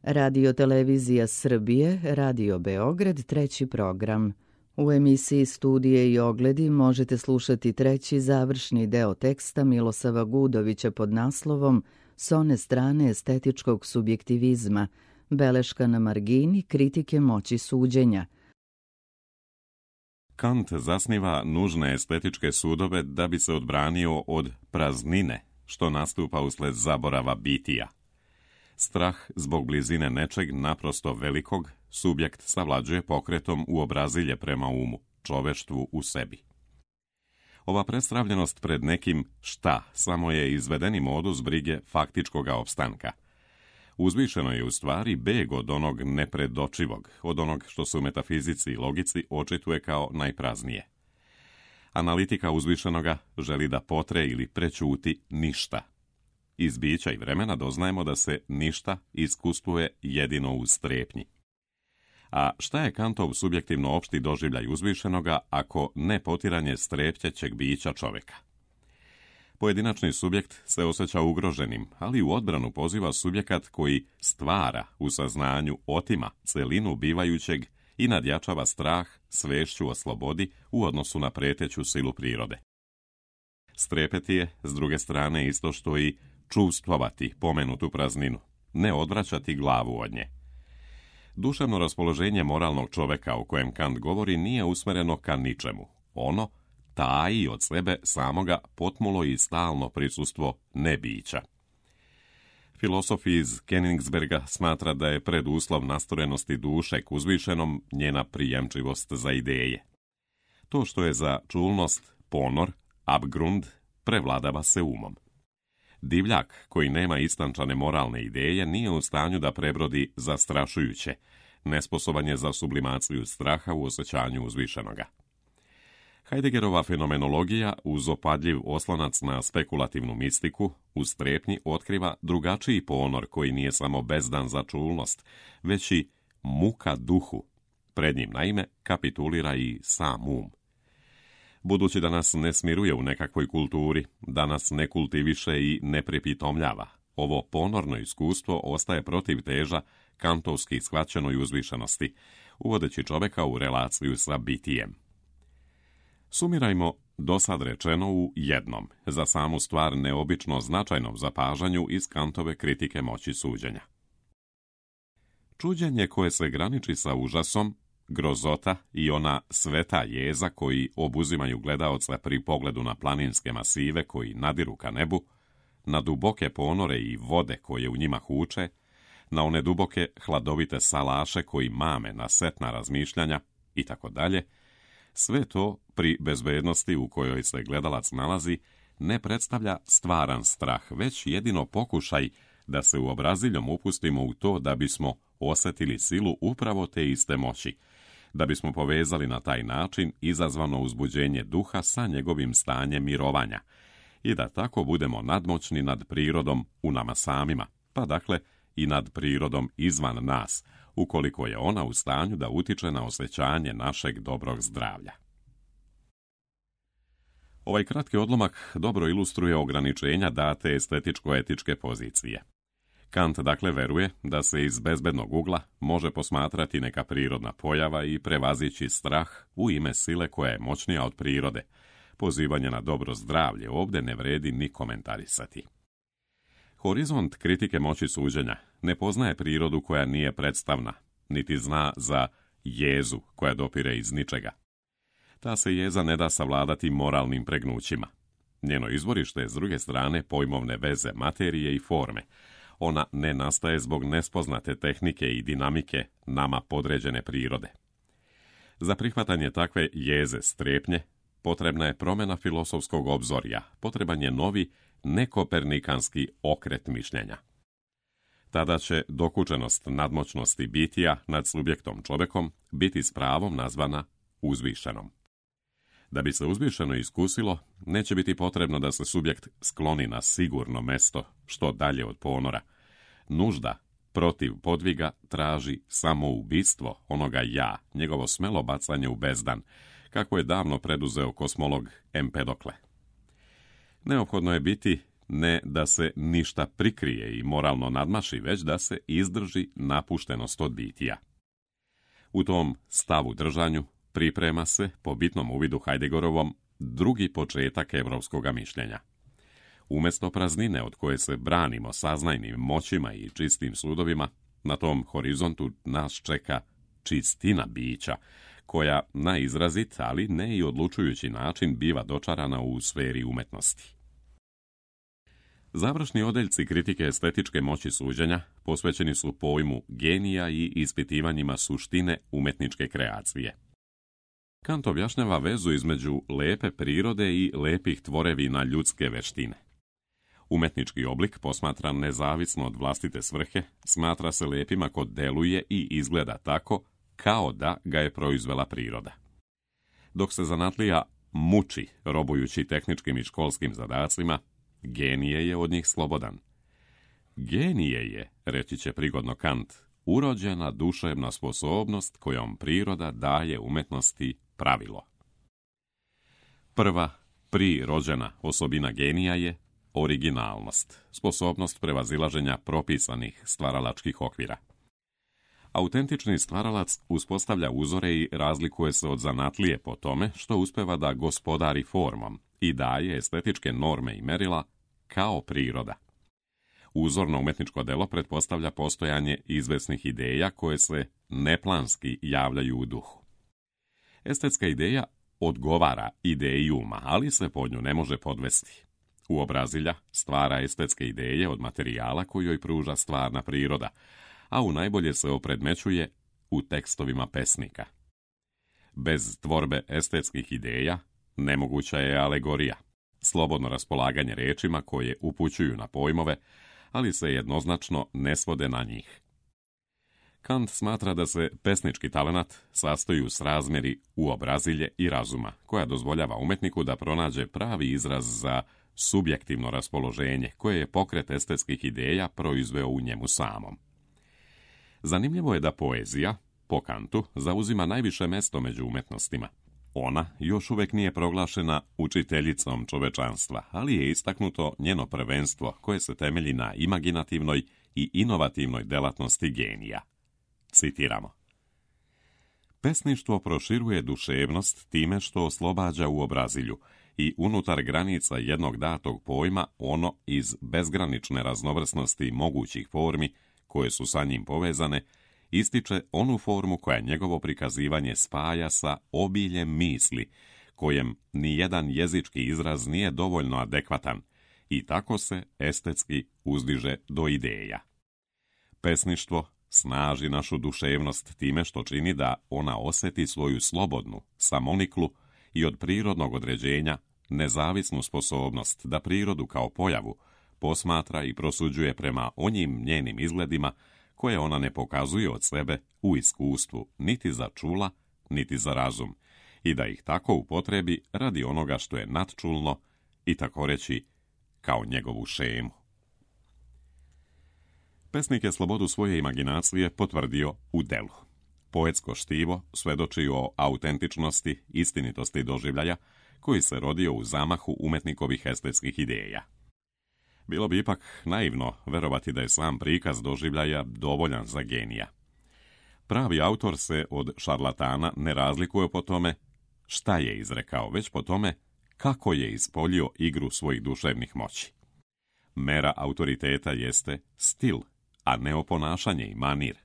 Radio Televizija Srbije, Radio Beograd, treći program. U emisiji Studije i ogledi možete slušati treći završni deo teksta Milosava Gudovića pod naslovom S one strane estetičkog subjektivizma, beleška na margini kritike moći suđenja. Kant zasniva nužne estetičke sudove da bi se odbranio od praznine, što nastupa usled zaborava bitija. Strah zbog blizine nečeg naprosto velikog subjekt savlađuje pokretom u obrazilje prema umu, čoveštvu u sebi. Ova predstavljenost pred nekim šta samo je izvedeni modus brige faktičkoga opstanka. Uzvišeno je u stvari beg od onog nepredočivog, od onog što se u metafizici i logici očituje kao najpraznije. Analitika uzvišenoga želi da potre ili prećuti ništa. Iz bića i vremena doznajemo da se ništa iskustvuje jedino u strepnji. A šta je Kantov subjektivno opšti doživljaj uzvišenoga ako ne potiranje strepćećeg bića čoveka? Pojedinačni subjekt se osjeća ugroženim, ali u odbranu poziva subjekat koji stvara u saznanju, otima celinu bivajućeg i nadjačava strah svešću o slobodi u odnosu na preteću silu prirode. Strepeti je, s druge strane, isto što i čuvstvovati pomenutu prazninu, ne odvraćati glavu od nje. Duševno raspoloženje moralnog čoveka o kojem Kant govori nije usmereno ka ničemu. Ono taji od sebe samoga potmulo i stalno prisustvo nebića. Filosof iz Königsberga smatra da je preduslov nastorenosti duše k uzvišenom njena prijemčivost za ideje. To što je za čulnost ponor, abgrund, prevladava se umom. Divljak koji nema istančane moralne ideje nije u stanju da prebrodi zastrašujuće, nesposoban je za sublimaciju straha u osjećanju uzvišenoga. Heideggerova fenomenologija uz opadljiv oslonac na spekulativnu mistiku u strepnji otkriva drugačiji ponor koji nije samo bezdan za čulnost, već i muka duhu. Pred njim naime kapitulira i sam um. Budući da nas ne smiruje u nekakvoj kulturi, da nas ne kultiviše i ne pripitomljava, ovo ponorno iskustvo ostaje protiv teža kantovski shvaćenoj uzvišenosti, uvodeći čoveka u relaciju sa bitijem. Sumirajmo dosad rečeno u jednom, za samu stvar neobično značajnom zapažanju iz Kantove kritike moći suđenja. Čuđenje koje se graniči sa užasom, grozota i ona sveta jeza koji obuzimaju gledaoca pri pogledu na planinske masive koji nadiru ka nebu, na duboke ponore i vode koje u njima huče, na one duboke hladovite salaše koji mame na setna razmišljanja itd., sve to pri bezbednosti u kojoj se gledalac nalazi ne predstavlja stvaran strah, već jedino pokušaj da se u obraziljom upustimo u to da bismo osjetili silu upravo te iste moći, da bismo povezali na taj način izazvano uzbuđenje duha sa njegovim stanjem mirovanja i da tako budemo nadmoćni nad prirodom u nama samima, pa dakle i nad prirodom izvan nas, ukoliko je ona u stanju da utiče na osjećanje našeg dobrog zdravlja. Ovaj kratki odlomak dobro ilustruje ograničenja date estetičko-etičke pozicije. Kant dakle veruje da se iz bezbednog ugla može posmatrati neka prirodna pojava i prevazići strah u ime sile koja je moćnija od prirode. Pozivanje na dobro zdravlje ovdje ne vredi ni komentarisati. Horizont kritike moći suđenja ne poznaje prirodu koja nije predstavna, niti zna za jezu koja dopire iz ničega. Ta se jeza ne da savladati moralnim pregnućima. Njeno izvorište je s druge strane pojmovne veze materije i forme. Ona ne nastaje zbog nespoznate tehnike i dinamike nama podređene prirode. Za prihvatanje takve jeze strepnje potrebna je promjena filosofskog obzorja, potreban je novi nekopernikanski okret mišljenja. Tada će dokučenost nadmoćnosti bitija nad subjektom čovekom biti s pravom nazvana uzvišenom. Da bi se uzvišeno iskusilo, neće biti potrebno da se subjekt skloni na sigurno mesto što dalje od ponora. Nužda protiv podviga traži samoubistvo onoga ja, njegovo smelo bacanje u bezdan, kako je davno preduzeo kosmolog Empedokle. Neophodno je biti ne da se ništa prikrije i moralno nadmaši, već da se izdrži napuštenost od bitija. U tom stavu držanju priprema se, po bitnom uvidu Heideggorovom, drugi početak evropskog mišljenja. Umjesto praznine od koje se branimo saznajnim moćima i čistim sudovima, na tom horizontu nas čeka čistina bića, koja na izrazit, ali ne i odlučujući način biva dočarana u sferi umetnosti. Završni odeljci kritike estetičke moći suđenja posvećeni su pojmu genija i ispitivanjima suštine umetničke kreacije. Kant objašnjava vezu između lepe prirode i lepih tvorevina ljudske veštine. Umetnički oblik, posmatran nezavisno od vlastite svrhe, smatra se lepim ako deluje i izgleda tako kao da ga je proizvela priroda. Dok se zanatlija muči robujući tehničkim i školskim zadacima, genije je od njih slobodan. Genije je, reći će prigodno Kant, urođena duševna sposobnost kojom priroda daje umetnosti pravilo. Prva, prirođena osobina genija je originalnost, sposobnost prevazilaženja propisanih stvaralačkih okvira. Autentični stvaralac uspostavlja uzore i razlikuje se od zanatlije po tome što uspeva da gospodari formom i daje estetičke norme i merila kao priroda. Uzorno umetničko delo pretpostavlja postojanje izvesnih ideja koje se neplanski javljaju u duhu. Estetska ideja odgovara ideji uma, ali se pod nju ne može podvesti. Uobrazilja stvara estetske ideje od materijala koju joj pruža stvarna priroda, a u najbolje se opredmećuje u tekstovima pesnika. Bez tvorbe estetskih ideja nemoguća je alegorija, slobodno raspolaganje rečima koje upućuju na pojmove, ali se jednoznačno ne svode na njih. Kant smatra da se pesnički talenat sastoji u srazmjeri uobrazilje i razuma, koja dozvoljava umetniku da pronađe pravi izraz za subjektivno raspoloženje koje je pokret estetskih ideja proizveo u njemu samom. Zanimljivo je da poezija, po Kantu, zauzima najviše mesto među umetnostima. Ona još uvijek nije proglašena učiteljicom čovečanstva, ali je istaknuto njeno prvenstvo koje se temelji na imaginativnoj i inovativnoj delatnosti genija. Citiramo. Pesništvo proširuje duševnost time što oslobađa uobrazilju i unutar granica jednog datog pojma ono iz bezgranične raznovrsnosti mogućih formi koje su sa njim povezane, ističe onu formu koja njegovo prikazivanje spaja sa obiljem misli, kojem nijedan jezički izraz nije dovoljno adekvatan i tako se estetski uzdiže do ideja. Pesništvo snaži našu duševnost time što čini da ona osjeti svoju slobodnu, samoniklu i od prirodnog određenja nezavisnu sposobnost da prirodu kao pojavu posmatra i prosuđuje prema onjim njenim izgledima koje ona ne pokazuje od sebe u iskustvu niti za čula, niti za razum, i da ih tako upotrebi radi onoga što je nadčulno i tako reći kao njegovu šemu. Pesnik je slobodu svoje imaginacije potvrdio u delu. Poetsko štivo svedoči o autentičnosti, istinitosti doživljaja koji se rodio u zamahu umetnikovih estetskih ideja. Bilo bi ipak naivno verovati da je sam prikaz doživljaja dovoljan za genija. Pravi autor se od šarlatana ne razlikuje po tome šta je izrekao, već po tome kako je ispoljio igru svojih duševnih moći. Mera autoriteta jeste stil, a ne oponašanje i manir.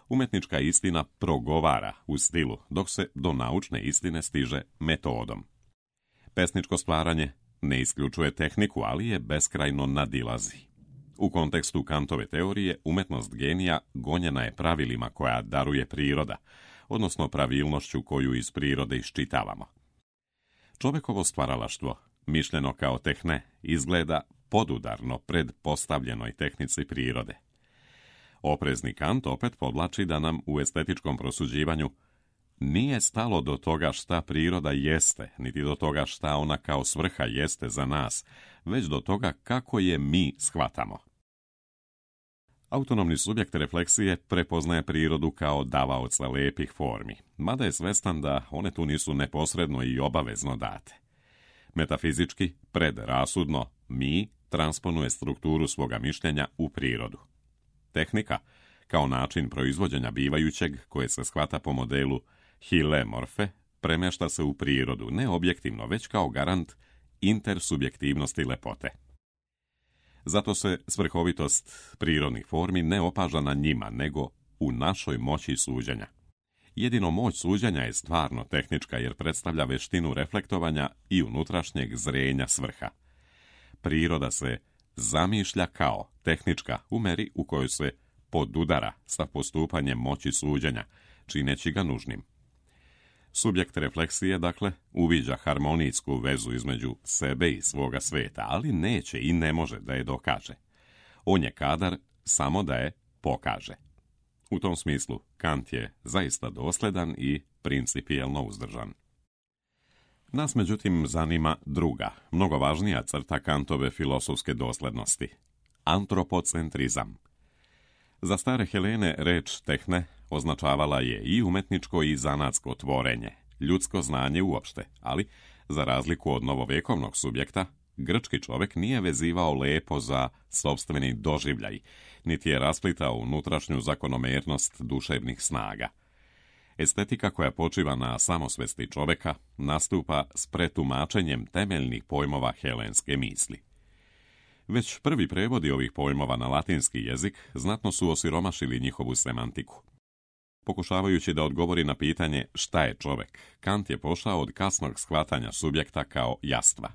Umetnička istina progovara u stilu, dok se do naučne istine stiže metodom. Pesničko stvaranje ne isključuje tehniku, ali je beskrajno nadilazi. U kontekstu Kantove teorije, umetnost genija gonjena je pravilima koja daruje priroda, odnosno pravilnošću koju iz prirode iščitavamo. Čovekovo stvaralaštvo, mišljeno kao tehne, izgleda podudarno pred postavljenoj tehnici prirode. Oprezni Kant opet podlači da nam u estetičkom prosuđivanju nije stalo do toga šta priroda jeste, niti do toga šta ona kao svrha jeste za nas, već do toga kako je mi shvatamo. Autonomni subjekt refleksije prepoznaje prirodu kao davaoca lepih formi, mada je svestan da one tu nisu neposredno i obavezno date. Metafizički, predrasudno, mi transponuje strukturu svoga mišljenja u prirodu. Tehnika, kao način proizvođenja bivajućeg, koje se shvata po modelu Hill-Morfe, premješta se u prirodu, ne objektivno, već kao garant intersubjektivnosti lepote. Zato se svrhovitost prirodnih formi ne opaža na njima, nego u našoj moći suđenja. Jedino moć suđenja je stvarno tehnička jer predstavlja veštinu reflektovanja i unutrašnjeg zrenja svrha. Priroda se zamišlja kao tehnička u meri u kojoj se podudara sa postupanjem moći suđenja, čineći ga nužnim. Subjekt refleksije, dakle, uviđa harmonijsku vezu između sebe i svoga sveta, ali neće i ne može da je dokaže. On je kadar samo da je pokaže. U tom smislu, Kant je zaista dosledan i principijelno uzdržan. Nas, međutim, zanima druga, mnogo važnija crta Kantove filosofske doslednosti – antropocentrizam. Za stare Helene reč tehne označavala je i umetničko i zanatsko tvorenje, ljudsko znanje uopšte, ali, za razliku od novovekovnog subjekta, grčki čovjek nije vezivao lepo za sopstveni doživljaj, niti je rasplitao unutrašnju zakonomernost duševnih snaga. Estetika koja počiva na samosvesti čovjeka nastupa s pretumačenjem temeljnih pojmova helenske misli. Već prvi prevodi ovih pojmova na latinski jezik znatno su osiromašili njihovu semantiku. Pokušavajući da odgovori na pitanje šta je čovjek, Kant je pošao od kasnog shvatanja subjekta kao jastva.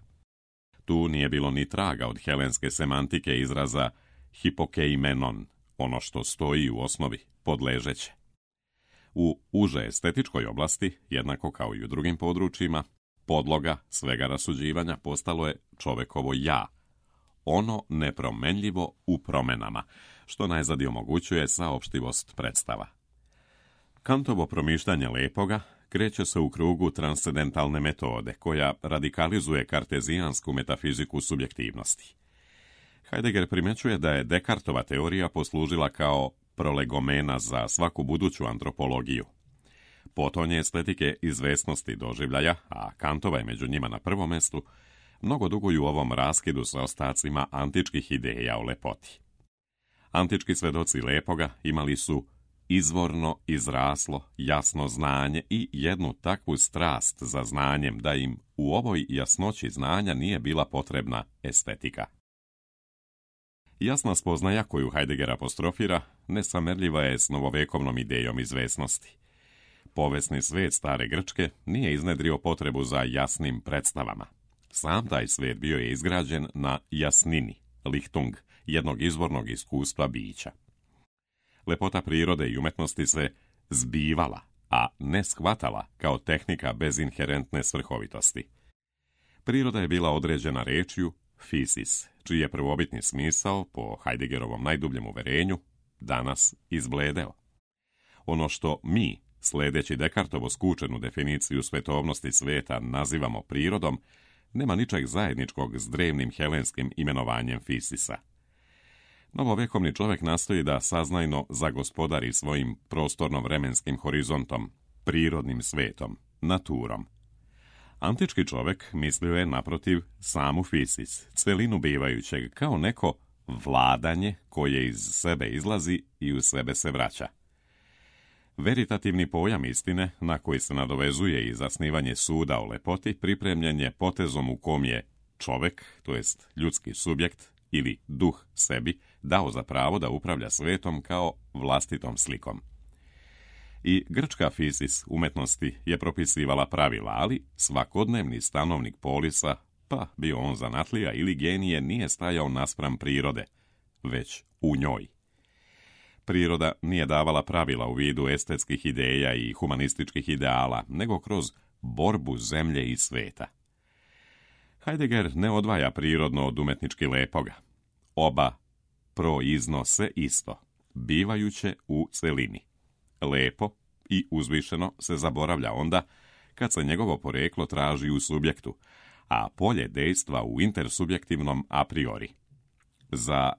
Tu nije bilo ni traga od helenske semantike izraza hipokeimenon, ono što stoji u osnovi, podležeće. U uže estetičkoj oblasti, jednako kao i u drugim područjima, podloga svega rasuđivanja postalo je čovekovo ja, ono nepromenljivo u promenama, što najzad omogućuje saopštivost predstava. Kantovo promišljanje lepoga kreće se u krugu transcendentalne metode, koja radikalizuje kartezijansku metafiziku subjektivnosti. Heidegger primjećuje da je Descartova teorija poslužila kao prolegomena za svaku buduću antropologiju. Potonje estetike izvesnosti doživljaja, a Kantova je među njima na prvom mjestu, mnogo duguju u ovom raskidu sa ostacima antičkih ideja o lepoti. Antički svedoci lepoga imali su izvorno, izraslo, jasno znanje i jednu takvu strast za znanjem da im u ovoj jasnoći znanja nije bila potrebna estetika. Jasna spoznaja koju Heidegger apostrofira nesamerljiva je s novovekovnom idejom izvesnosti. Povesni svijet stare Grčke nije iznedrio potrebu za jasnim predstavama. Sam taj svijet bio je izgrađen na jasnini, Lichtung, jednog izvornog iskustva bića. Lepota prirode i umetnosti se zbivala, a ne shvatala kao tehnika bez inherentne svrhovitosti. Priroda je bila određena rečju physis, čiji je prvobitni smisao, po Heideggerovom najdubljem uverenju, danas izbledeo. Ono što mi, sledeći Descartovo skučenu definiciju svetovnosti sveta, nazivamo prirodom, nema ničeg zajedničkog s drevnim helenskim imenovanjem Fisisa. Novovekovni čovjek nastoji da saznajno zagospodari svojim prostorno-vremenskim horizontom, prirodnim svetom, naturom. Antički čovjek mislio je, naprotiv, samu fisis, celinu bivajućeg, kao neko vladanje koje iz sebe izlazi i u sebe se vraća. Veritativni pojam istine, na koji se nadovezuje i zasnivanje suda o lepoti, pripremljen je potezom u kom je čovjek, to jest ljudski subjekt ili duh sebi, dao za pravo da upravlja svetom kao vlastitom slikom. I grčka fisis umetnosti je propisivala pravila, ali svakodnevni stanovnik polisa, pa bio on zanatlija ili genije, nije stajao naspram prirode, već u njoj. Priroda nije davala pravila u vidu estetskih ideja i humanističkih ideala, nego kroz borbu zemlje i sveta. Heidegger ne odvaja prirodno od umetnički lepoga. Oba proiznose isto, bivajuće u celini. Lepo i uzvišeno se zaboravlja onda kad se njegovo poreklo traži u subjektu, a polje dejstva u intersubjektivnom a priori. Za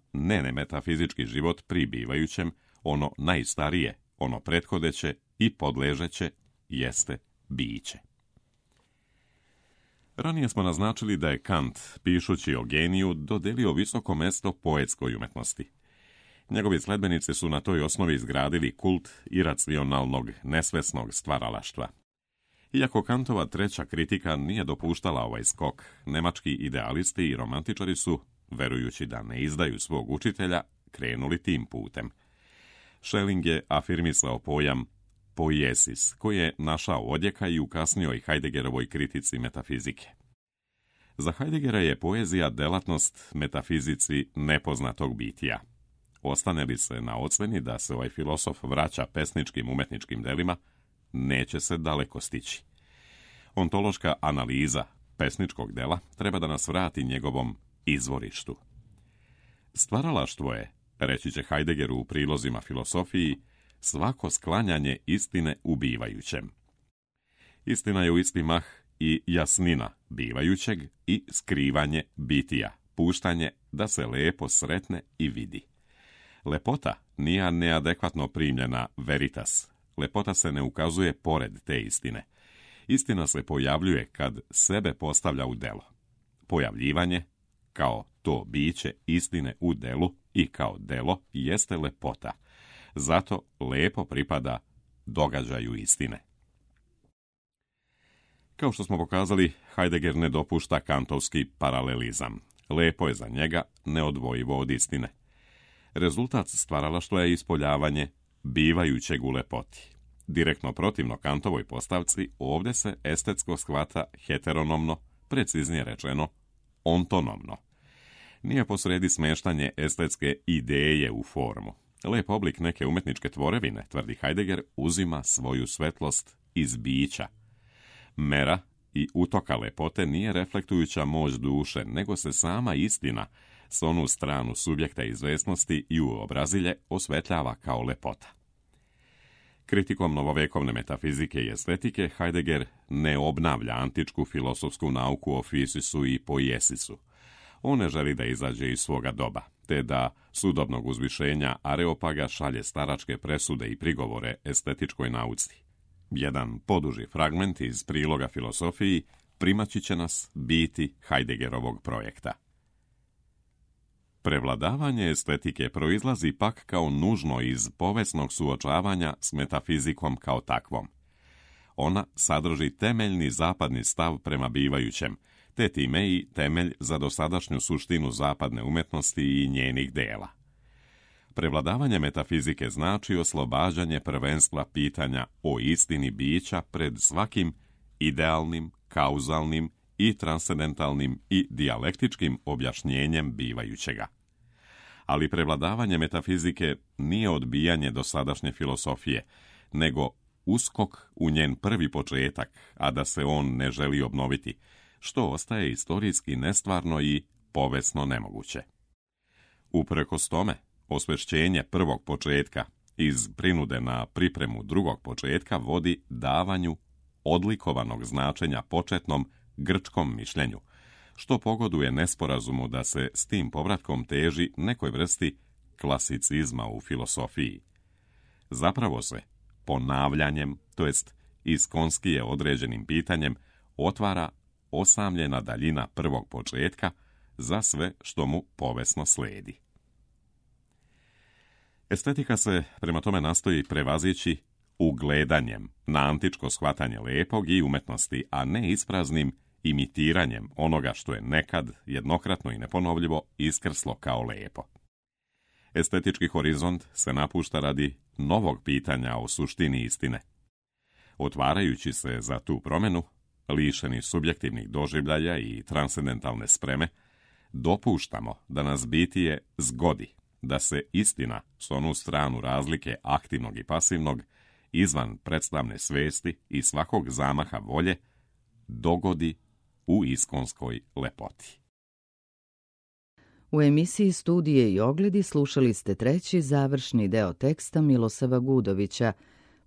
metafizički život pri bivajućem, ono najstarije, ono prethodeće i podležeće jeste biće. Ranije smo naznačili da je Kant, pišući o geniju, dodelio visoko mesto poetskoj umetnosti. Njegovi sledbenici su na toj osnovi izgradili kult iracionalnog, nesvesnog stvaralaštva. Iako Kantova treća kritika nije dopuštala ovaj skok, nemački idealisti i romantičari su, verujući da ne izdaju svog učitelja, krenuli tim putem. Schelling je afirmisao pojam poiesis, koji je našao odjeka i u kasnijoj Heideggerovoj kritici metafizike. Za Heideggera je poezija delatnost metafizici nepoznatog bitija. Ostane li se na oceni da se ovaj filosof vraća pesničkim umetničkim delima, neće se daleko stići. Ontološka analiza pesničkog dela treba da nas vrati njegovom izvorištu. Stvaralaštvo je, reći će Heidegger u prilozima filosofiji, svako sklanjanje istine u bivajućem. Istina je u isti mah i jasnina bivajućeg i skrivanje bitija, puštanje da se lepo sretne i vidi. Lepota nije neadekvatno primljena veritas. Lepota se ne ukazuje pored te istine. Istina se pojavljuje kad sebe postavlja u delo. Pojavljivanje, kao to biće istine u delu i kao delo, jeste lepota. Zato lepo pripada događaju istine. Kao što smo pokazali, Heidegger ne dopušta kantovski paralelizam. Lepo je za njega neodvojivo od istine. Rezultat stvaralaštva je ispoljavanje bivajućeg u lepoti. Direktno protivno Kantovoj postavci, ovdje se estetsko shvata heteronomno, preciznije rečeno ontonomno. Nije posredi smeštanje estetske ideje u formu. Lep oblik neke umetničke tvorevine, tvrdi Heidegger, uzima svoju svetlost iz bića. Mera i utoka lepote nije reflektujuća moć duše, nego se sama istina s onu stranu subjekta izvesnosti i uobrazilje osvetljava kao lepota. Kritikom novovekovne metafizike i estetike, Heidegger ne obnavlja antičku filosofsku nauku o fisisu i poiesisu. On ne želi da izađe iz svoga doba, te da sudobnog uzvišenja Areopaga šalje staračke presude i prigovore estetičkoj nauci. Jedan poduži fragment iz priloga filosofiji primaći će nas biti Heideggerovog projekta. Prevladavanje estetike proizlazi pak kao nužno iz povesnog suočavanja s metafizikom kao takvom. Ona sadrži temeljni zapadni stav prema bivajućem, te time i temelj za dosadašnju suštinu zapadne umetnosti i njenih dela. Prevladavanje metafizike znači oslobađanje prvenstva pitanja o istini bića pred svakim idealnim, kauzalnim i transcendentalnim i dijalektičkim objašnjenjem bivajućega. Ali prevladavanje metafizike nije odbijanje dosadašnje filosofije, nego uskok u njen prvi početak, a da se on ne želi obnoviti, što ostaje istorijski nestvarno i povesno nemoguće. Uprkos tome, osvešćenje prvog početka iz prinude na pripremu drugog početka vodi davanju odlikovanog značenja početnom grčkom mišljenju, što pogoduje nesporazumu da se s tim povratkom teži nekoj vrsti klasicizma u filosofiji. Zapravo se ponavljanjem, to jest iskonskije određenim pitanjem, otvara osamljena daljina prvog početka za sve što mu povesno sledi. Estetika se prema tome nastoji prevazići ugledanjem na antičko shvatanje lepog i umetnosti, a ne ispraznim imitiranjem onoga što je nekad jednokratno i neponovljivo iskrslo kao lepo. Estetički horizont se napušta radi novog pitanja o suštini istine. Otvarajući se za tu promjenu, lišeni subjektivnih doživljaja i transcendentalne spreme, dopuštamo da nas bitije zgodi, da se istina s onu stranu razlike aktivnog i pasivnog, izvan predstavne svesti i svakog zamaha volje, dogodi u iskonskoj lepoti. U emisiji Studije i ogledi slušali ste treći završni deo teksta Milosava Gudovića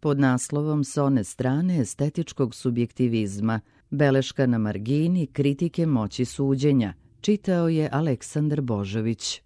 pod naslovom S one strane estetičkog subjektivizma, beleška na margini kritike moći suđenja. Čitao je Aleksandar Božović.